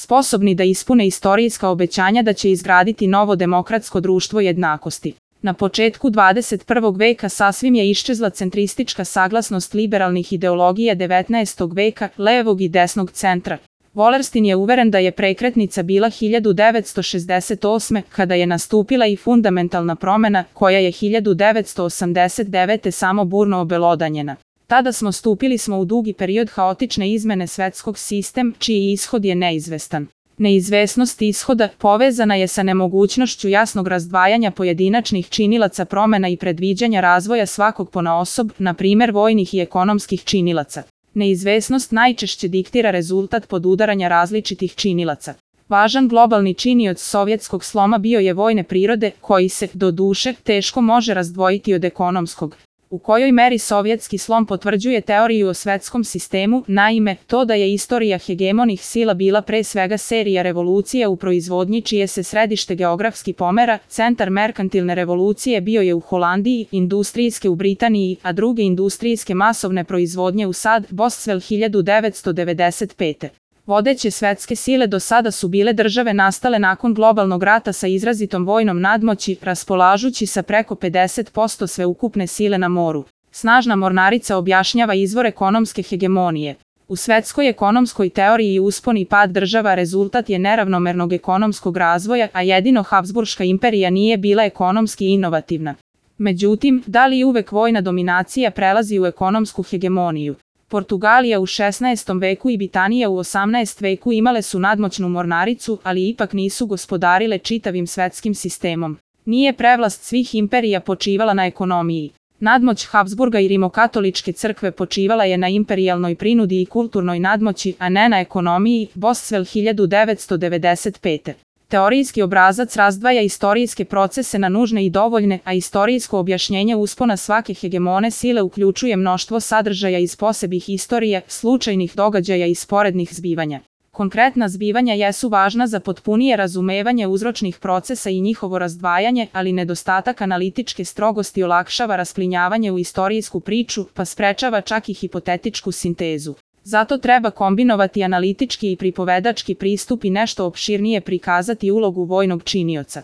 sposobni da ispune istorijska obećanja da će izgraditi novo demokratsko društvo jednakosti. Na početku 21. veka sasvim je iščezla centristička saglasnost liberalnih ideologija 19. veka, levog i desnog centra. Wallerstein je uveren da je prekretnica bila 1968. kada je nastupila i fundamentalna promena, koja je 1989. samo burno obelodanjena. Tada stupili smo u dugi period haotične izmene svetskog sistema, čiji ishod je neizvestan. Neizvesnost ishoda povezana je sa nemogućnošću jasnog razdvajanja pojedinačnih činilaca promena i predviđanja razvoja svakog ponaosob, na primjer vojnih i ekonomskih činilaca. Neizvesnost najčešće diktira rezultat podudaranja različitih činilaca. Važan globalni činioc sovjetskog sloma bio je vojne prirode, koji se, doduše, teško može razdvojiti od ekonomskog. U kojoj meri sovjetski slom potvrđuje teoriju o svetskom sistemu, naime, to da je istorija hegemonih sila bila pre svega serija revolucija u proizvodnji čije se središte geografski pomera, centar merkantilne revolucije bio je u Holandiji, industrijske u Britaniji, a druge industrijske masovne proizvodnje u SAD, Boswell 1995. Vodeće svetske sile do sada su bile države nastale nakon globalnog rata sa izrazitom vojnom nadmoći, raspolažući sa preko 50% sveukupne sile na moru. Snažna mornarica objašnjava izvor ekonomske hegemonije. U svetskoj ekonomskoj teoriji uspon i pad država rezultat je neravnomernog ekonomskog razvoja, a jedino Habsburška imperija nije bila ekonomski inovativna. Međutim, da li uvek vojna dominacija prelazi u ekonomsku hegemoniju? Portugalija u 16. veku i Britanija u 18. veku imale su nadmoćnu mornaricu, ali ipak nisu gospodarile čitavim svetskim sistemom. Nije prevlast svih imperija počivala na ekonomiji. Nadmoć Habsburga i rimokatoličke crkve počivala je na imperijalnoj prinudi i kulturnoj nadmoći, a ne na ekonomiji, Boswell 1995. Teorijski obrazac razdvaja istorijske procese na nužne i dovoljne, a istorijsko objašnjenje uspona svake hegemone sile uključuje mnoštvo sadržaja iz posebnih istorija, slučajnih događaja i sporednih zbivanja. Konkretna zbivanja jesu važna za potpunije razumevanje uzročnih procesa i njihovo razdvajanje, ali nedostatak analitičke strogosti olakšava rasplinjavanje u istorijsku priču, pa sprečava čak i hipotetičku sintezu. Zato treba kombinovati analitički i pripovedački pristup i nešto opširnije prikazati ulogu vojnog činioca.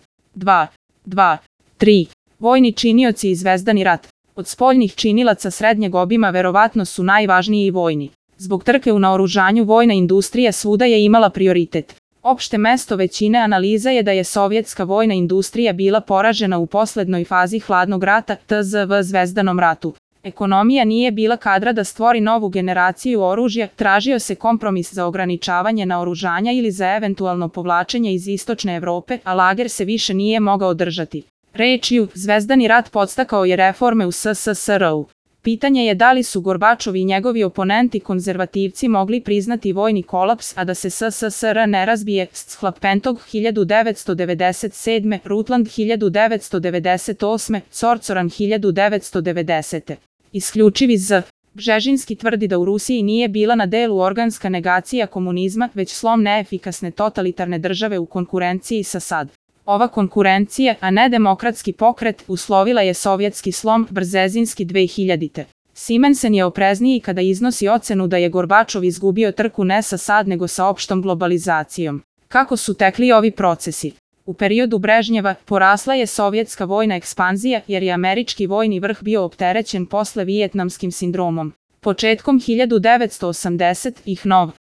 3. Vojni činioci i zvezdani rat. Od spoljnih činilaca srednjeg obima verovatno su najvažniji i vojni. Zbog trke u naoružanju vojna industrija svuda je imala prioritet. Opšte mesto većine analiza je da je sovjetska vojna industrija bila poražena u poslednjoj fazi hladnog rata, tzv. Zvezdanom ratu. Ekonomija nije bila kadra da stvori novu generaciju oružja, tražio se kompromis za ograničavanje naoružanja ili za eventualno povlačenje iz istočne Evrope, a lager se više nije mogao držati. Rečju, Zvezdani rat podstakao je reforme u SSSR-u. Pitanje je da li su Gorbačov i njegovi oponenti konzervativci mogli priznati vojni kolaps, a da se SSSR ne razbije, Schlapentog 1997, Rutland 1998, Corcoran 1990. Isključivi z. Bžežinski tvrdi da u Rusiji nije bila na delu organska negacija komunizma, već slom neefikasne totalitarne države u konkurenciji sa SAD. Ova konkurencija, a ne demokratski pokret, uslovila je sovjetski slom Brzezinski 2000. Simensen je oprezniji kada iznosi ocenu da je Gorbačov izgubio trku ne sa SAD nego sa opštom globalizacijom. Kako su tekli ovi procesi? U periodu Brežnjeva porasla je sovjetska vojna ekspanzija jer je američki vojni vrh bio opterećen posle vijetnamskim sindromom. Početkom 1980-ih nov